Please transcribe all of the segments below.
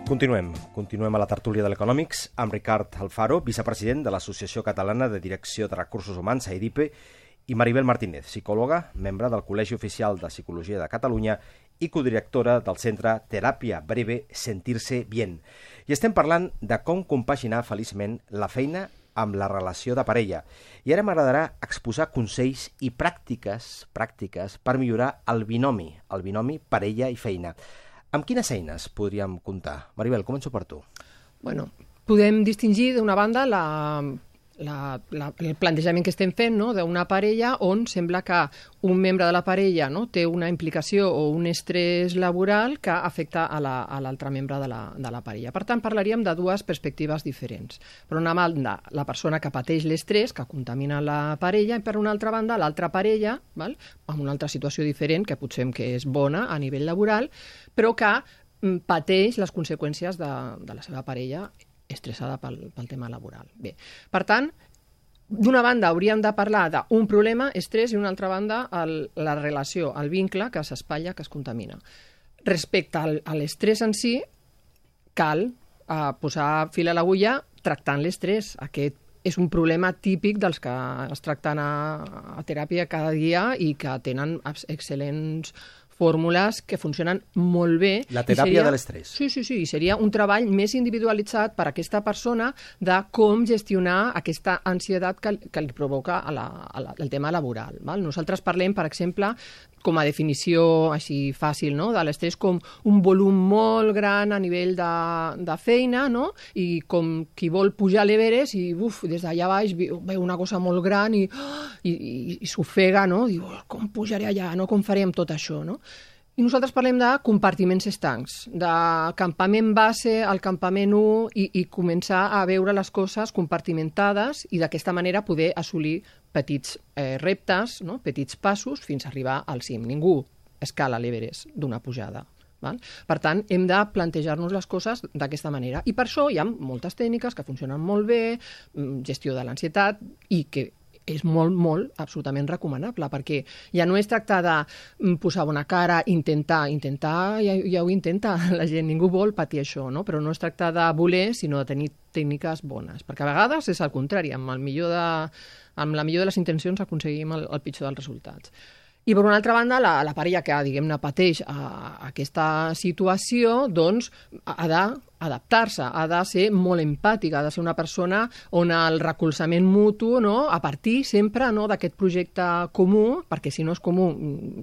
Continuem a la tertúlia de l'Econòmics amb Ricard Alfaro, vicepresident de l'Associació Catalana de Direcció de Recursos Humans, AIDIPE, i Maribel Martínez, psicòloga, membre del Col·legi Oficial de Psicologia de Catalunya i codirectora del centre Teràpia Breve Sentirse Bien. I estem parlant de com compaginar feliçment la feina amb la relació de parella. I ara m'agradarà exposar consells i pràctiques per millorar el binomi parella i feina. Amb quines eines podríem comptar? Maribel, començo per tu. Bueno, podem distingir d'una banda el plantejament que estem fent, no?, d'una parella on sembla que un membre de la parella, no?, té una implicació o un estrès laboral que afecta a l'altre membre de la parella. Per tant, parlaríem de dues perspectives diferents. Per una banda, la persona que pateix l'estrès, que contamina la parella, i per una altra banda, l'altra parella, val?, amb una altra situació diferent, que potser que és bona a nivell laboral, però que pateix les conseqüències de la seva parella estressada pel tema laboral. Bé, per tant, d'una banda hauríem de parlar d'un problema, estrès, i d'una altra banda la relació, el vincle que s'espatlla, que es contamina. Respecte a l'estrès en si, cal posar fil a l'agulla tractant l'estrès. Aquest és un problema típic dels que es tracten a teràpia cada dia i que tenen excel·lents fórmules que funcionen molt bé. La teràpia de l'estrès. Sí, i seria un treball més individualitzat per a aquesta persona de com gestionar aquesta ansietat que li provoca el tema laboral. Val? Nosaltres parlem, per exemple, com a definició així fàcil, no?, de l'estrès com un volum molt gran a nivell de feina, no?, i com qui vol pujar a l'Everest i des d'allà baix veu una cosa molt gran i s'ofega, no?, diu, com pujaré allà, no?, com faré amb tot això, no? I nosaltres parlem de compartiments estancs, de campament base al campament 1 i començar a veure les coses compartimentades i d'aquesta manera poder assolir petits reptes, no?, petits passos fins a arribar al cim. Ningú escala l'Everest d'una pujada. Val? Per tant, hem de plantejar-nos les coses d'aquesta manera. I per això hi ha moltes tècniques que funcionen molt bé, gestió de l'ansietat, i que és molt, absolutament recomanable, perquè ja no es tracta de posar bona cara, intentar, ja ho intenta la gent, ningú vol patir això, no? Però no es tracta de voler, sinó de tenir tècniques bones, perquè a vegades és el contrari, amb la millor de les intencions aconseguim el pitjor dels resultats. I per una altra banda, la parella que, diguem-ne, pateix aquesta situació, doncs, ha d'adaptar-se, ha de ser molt empàtica, ha de ser una persona on el recolzament mutu, no?, a partir sempre, no?, d'aquest projecte comú, perquè si no és comú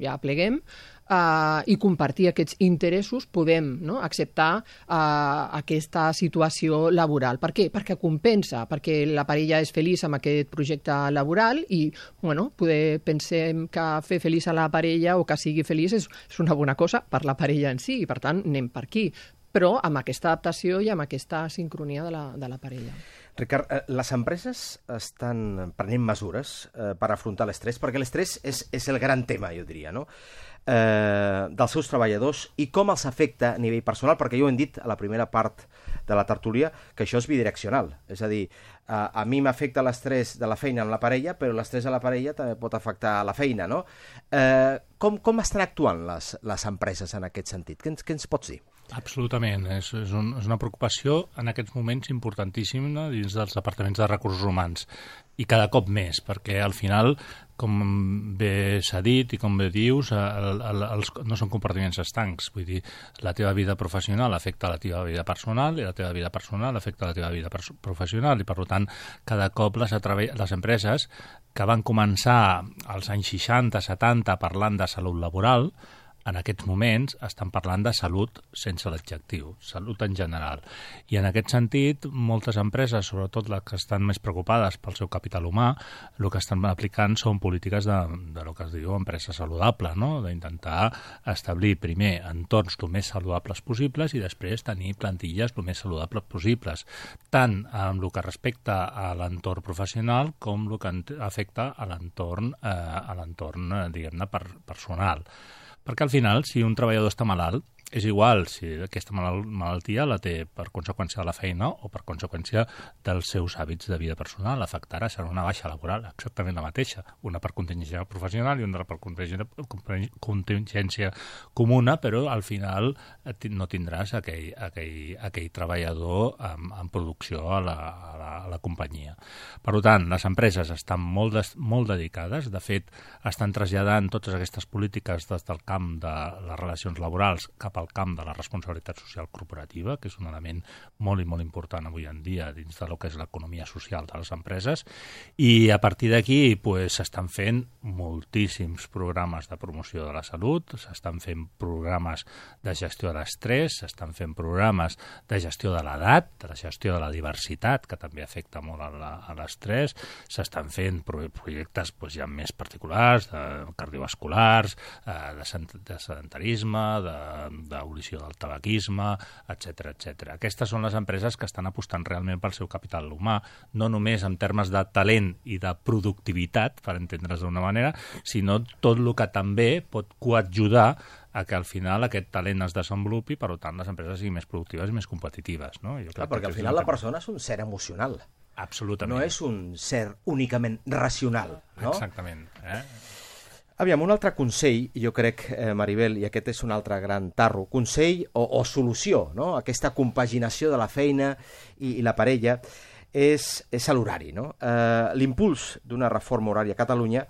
ja pleguem, i compartir aquests interessos, podem, no?, acceptar aquesta situació laboral. Per què? Perquè compensa, perquè la parella és feliç amb aquest projecte laboral i, bueno, pensem que fer feliç a la parella o que sigui feliç és una bona cosa per la parella en si, i per tant anem per aquí, però amb aquesta adaptació i amb aquesta sincronia de la parella. Ricard, les empreses estan prenent mesures per afrontar l'estrès, perquè l'estrès és el gran tema, jo diria, no?, dels seus treballadors i com els afecta a nivell personal, perquè jo ho hem dit a la primera part de la tertúlia, que això és bidireccional. És a dir, a mi m'afecta l'estrès de la feina amb la parella, però l'estrès a la parella també pot afectar a la feina, no? Com estan actuant les empreses en aquest sentit? Què ens pots dir? Absolutament. És una preocupació en aquests moments importantíssima dins dels departaments de recursos humans, i cada cop més, perquè al final, com bé s'ha dit i com bé dius, no són compartiments estancs. Vull dir, la teva vida professional afecta la teva vida personal i la teva vida personal afecta la teva vida professional, i per tant cada cop les empreses que van començar als anys 60-70 parlant de salut laboral, en aquests moments estan parlant de salut sense l'adjectiu, salut en general. I en aquest sentit, moltes empreses, sobretot les que estan més preocupades pel seu capital humà, el que estan aplicant són polítiques de lo que es diu empresa saludable, no?, d'intentar establir primer entorns el més saludables possibles i després tenir plantilles el més saludables possibles, tant en el que respecta a l'entorn professional com el que afecta a l'entorn diguem-ne, personal. Perquè al final, si un treballador està malalt, és igual si aquesta malaltia la té per conseqüència de la feina o per conseqüència dels seus hàbits de vida personal. Afectarà, serà una baixa laboral, exactament la mateixa. Una per contingència professional i una per contingència comuna, però al final no tindràs aquell treballador en producció a la companyia. Per tant, les empreses estan molt dedicades, de fet, estan traslladant totes aquestes polítiques des del camp de les relacions laborals cap al camp de la responsabilitat social corporativa, que és un element molt i molt important avui en dia dins de lo que és l'economia social de les empreses, i a partir d'aquí s'estan fent moltíssims programes de promoció de la salut, s'estan fent programes de gestió de l'estrès, s'estan fent programes de gestió de l'edat, de la gestió de la diversitat, que també afecta molt a l'estrès, s'estan fent projectes ja més particulars, cardiovasculars, de sedentarisme, d'abolició del tabaquisme, etc. Aquestes són les empreses que estan apostant realment pel seu capital humà, no només en termes de talent i de productivitat, per entendre's d'una manera, sinó tot el que també pot coadjudar a que al final aquest talent es desenvolupi, per tant les empreses siguin més productives i més competitives. No? Clar, perquè al final la persona és un ser emocional. Absolutament. No és un ser únicament racional. No? Exactament. Aviam, un altre consell, jo crec, Maribel, i aquest és un altre gran tarro, consell o solució, no? Aquesta compaginació de la feina i la parella és l'horari. No? L'impuls d'una reforma horària a Catalunya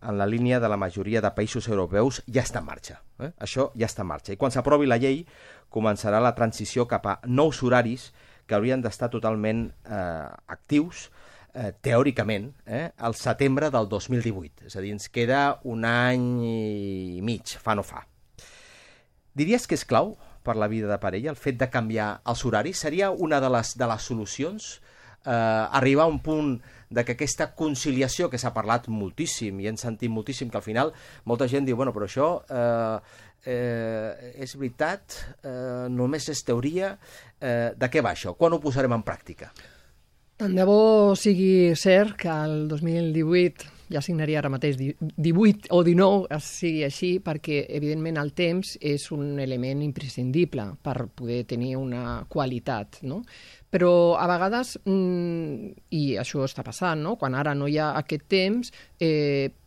en la línia de la majoria de països europeus ja està en marxa. Això ja està en marxa. I quan s'aprovi la llei començarà la transició cap a nous horaris que haurien d'estar totalment actius, teòricament, al setembre del 2018. És a dir, ens queda un any i mig, fa no fa. Diries que és clau per la vida de parella el fet de canviar els horaris? Seria una de les solucions? Arribar a un punt de que aquesta conciliació, que s'ha parlat moltíssim i hem sentit moltíssim, que al final molta gent diu, bueno, però això és veritat, només és teoria, de què va això? Quan ho posarem en pràctica? Tant de bo sigui cert que el 2018, ja signaria ara mateix 18 o 19, sigui així, perquè evidentment el temps és un element imprescindible per poder tenir una qualitat, no? Però a vegades, i això està passant, no? Quan ara no hi ha aquest temps,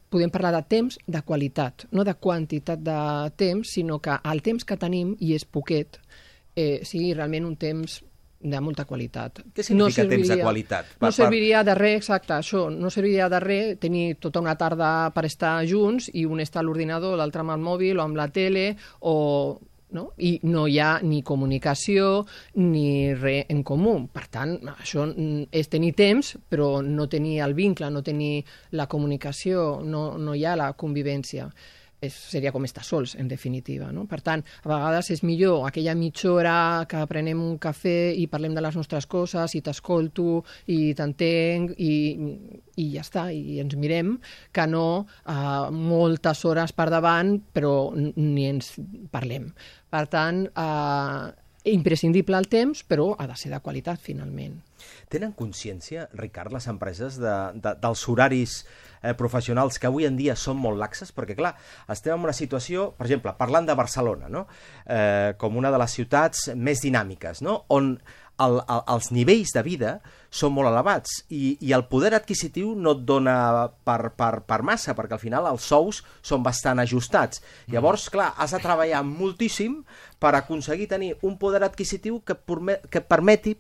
podem parlar de temps de qualitat, no de quantitat de temps, sinó que el temps que tenim, i és poquet, sigui realment un temps de molta qualitat. Què significa temps de qualitat? No serviria de res, exacte, això, no serviria de res tenir tota una tarda per estar junts i un està a l'ordinador, l'altre amb el mòbil o amb la tele, no? I no hi ha ni comunicació ni res en comú. Per tant, això és tenir temps, però no tenir el vincle, no tenir la comunicació, no hi ha la convivència. Seria com estar sols, en definitiva. No? Per tant, a vegades és millor aquella mitja hora que prenem un cafè i parlem de les nostres coses i t'escolto i t'entenc i ja està, i ens mirem, que no moltes hores per davant però ni ens parlem. Per tant, imprescindible el temps, però ha de ser de qualitat, finalment. Tenen consciència, Ricard, les empreses dels horaris professionals que avui en dia són molt laxes? Perquè, clar, estem en una situació, per exemple, parlant de Barcelona, no? Com una de les ciutats més dinàmiques, no? On els nivells de vida són molt elevats i el poder adquisitiu no et dona per massa, perquè al final els sous són bastant ajustats. Llavors, clar, has de treballar moltíssim per aconseguir tenir un poder adquisitiu que permeti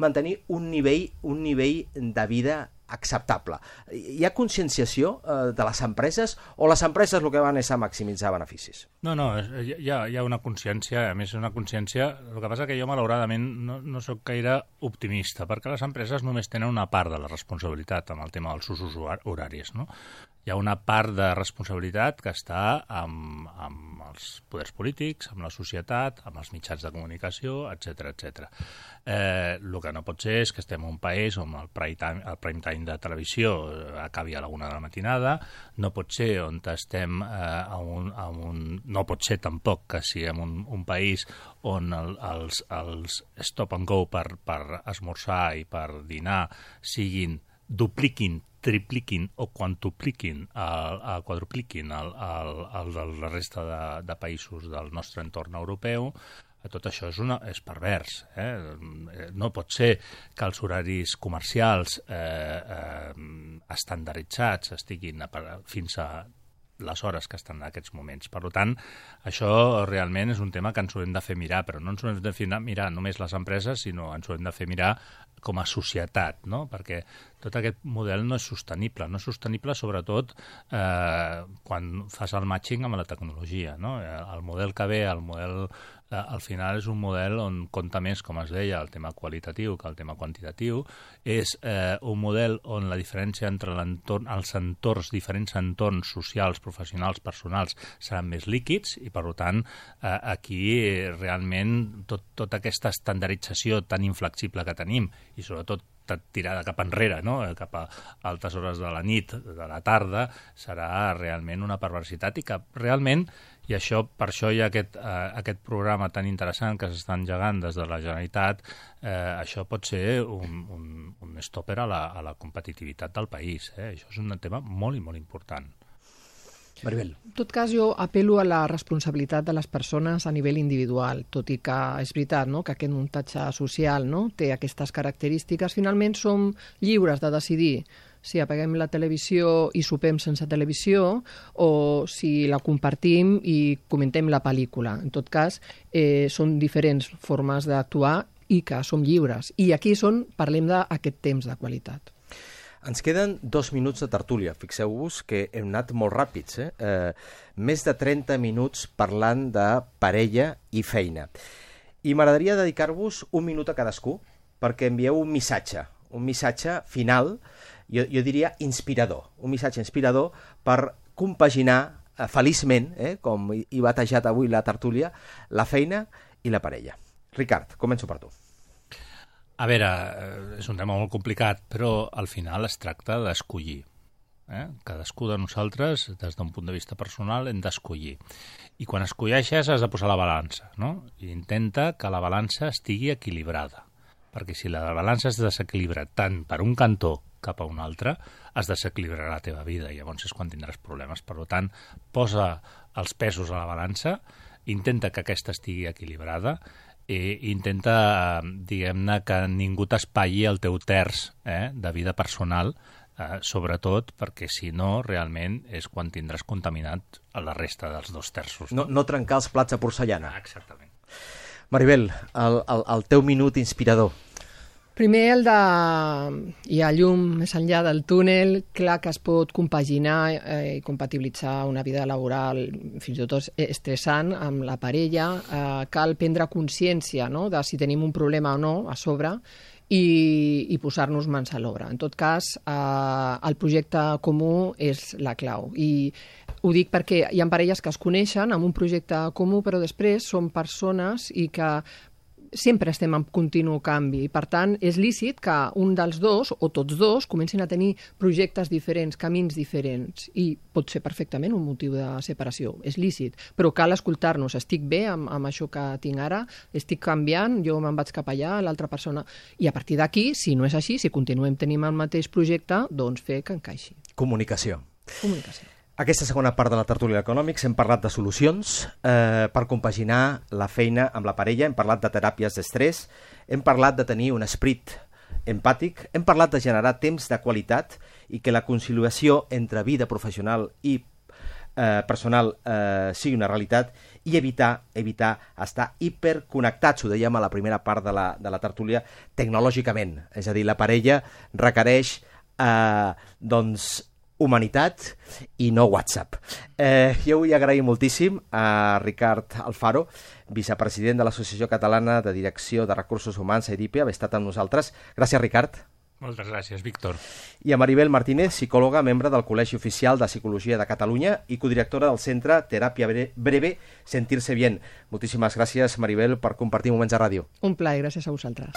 mantenir un nivell de vida acceptable. Hi ha conscienciació de les empreses o les empreses el que van és a maximitzar beneficis? No, hi ha una consciència, a més una consciència, el que passa que jo malauradament no soc gaire optimista, perquè les empreses només tenen una part de la responsabilitat amb el tema dels usos horaris, no? Hi ha una part de responsabilitat que està amb els poders polítics, amb la societat, amb els mitjans de comunicació, etc. El que no pot ser és que estem en un país on el prime time de televisió acabi a la 1 de la matinada, no pot ser on estem no pot ser tampoc que siguem un país on els stop and go per esmorzar i per dinar siguin dupliquin, tripliquin o quadrupliquin la resta de països del nostre entorn europeu, tot això és pervers. No pot ser que els horaris comercials estandarditzats estiguin fins a les hores que estan en aquests moments. Per tant, això realment és un tema que ens ho hem de fer mirar, però no ens ho hem de fer mirar només les empreses, sinó ens ho hem de fer mirar com a societat, no? Perquè tot aquest model no és sostenible. No és sostenible sobretot quan fas el matching amb la tecnologia, no? El model que ve, al final és un model on compta més, com es deia, el tema qualitatiu que el tema quantitatiu. És un model on la diferència entre els entorns, diferents entorns socials, professionals, personals, seran més líquids i, per tant, aquí realment tota aquesta estandardització tan inflexible que tenim i sobretot tirada cap enrere, no? Cap a altes hores de la nit, de la tarda, serà realment una perversitat i que realment, i per això hi ha aquest programa tan interessant que s'està engegant des de la Generalitat, això pot ser un stopper a la competitivitat del país. Això és un tema molt i molt important. Maribel. En tot cas, jo apel·lo a la responsabilitat de les persones a nivell individual, tot i que és veritat, no?, que aquest muntatge social, no?, té aquestes característiques. Finalment som lliures de decidir si apaguem la televisió i sopem sense televisió o si la compartim i comentem la pel·lícula. En tot cas, són diferents formes d'actuar i que som lliures. I aquí parlem d'aquest temps de qualitat. Ens queden 2 minuts de tertúlia. Fixeu-vos que hem anat molt ràpids. Més de 30 minuts parlant de parella i feina. I m'agradaria dedicar-vos 1 minut a cadascú perquè envieu un missatge final, jo diria inspirador. Un missatge inspirador per compaginar feliçment, com he batejat avui la tertúlia, la feina i la parella. Ricard, començo per tu. A veure, és un tema molt complicat, però al final es tracta d'escollir. Cadascú de nosaltres, des d'un punt de vista personal, hem d'escollir. I quan escolleixes has de posar la balança, no? I intenta que la balança estigui equilibrada, perquè si la balança es desequilibra tant per un cantó cap a un altre, es desequilibrarà la teva vida i llavors és quan tindràs problemes. Per tant, posa els pesos a la balança, intenta que aquesta estigui equilibrada i intenta, diguem-ne, que ningú t'espatlli el teu terç de vida personal, sobretot perquè si no, realment és quan tindràs contaminat a la resta dels 2 terços. No trencar els plats de porcellana. Exactament. Maribel, el teu minut inspirador. Primer, hi ha llum més enllà del túnel, clar que es pot compaginar i compatibilitzar una vida laboral fins i tot estressant amb la parella. Cal prendre consciència, no?, de si tenim un problema o no a sobre i posar-nos mans a l'obra. En tot cas, el projecte comú és la clau. I ho dic perquè hi ha parelles que es coneixen amb un projecte comú, però després són persones i que sempre estem en continu canvi. Per tant, és lícit que un dels dos, o tots dos, comencin a tenir projectes diferents, camins diferents, i pot ser perfectament un motiu de separació. És lícit, però cal escoltar-nos. Estic bé amb això que tinc ara, estic canviant, jo me'n vaig cap allà, l'altra persona... I a partir d'aquí, si no és així, si continuem tenint el mateix projecte, doncs fer que encaixi. Comunicació. Comunicació. Aquesta segona part de la tertúlia d'Econòmics hem parlat de solucions per compaginar la feina amb la parella, hem parlat de teràpies d'estrès, hem parlat de tenir un esperit empàtic, hem parlat de generar temps de qualitat i que la conciliació entre vida professional i personal sigui una realitat i evitar estar hiperconnectats, ho dèiem a la primera part de la tertúlia, tecnològicament. És a dir, la parella requereix humanitat i no WhatsApp. Jo vull agrair moltíssim a Ricard Alfaro, vicepresident de l'Associació Catalana de Direcció de Recursos Humans, AIDIPE, haver estat amb nosaltres. Gràcies, Ricard. Moltes gràcies, Víctor. I a Maribel Martínez, psicòloga, membre del Col·legi Oficial de Psicologia de Catalunya i codirectora del Centre Teràpia Breve Sentirse Bien. Moltíssimes gràcies, Maribel, per compartir moments de ràdio. Un plaer, gràcies a vosaltres.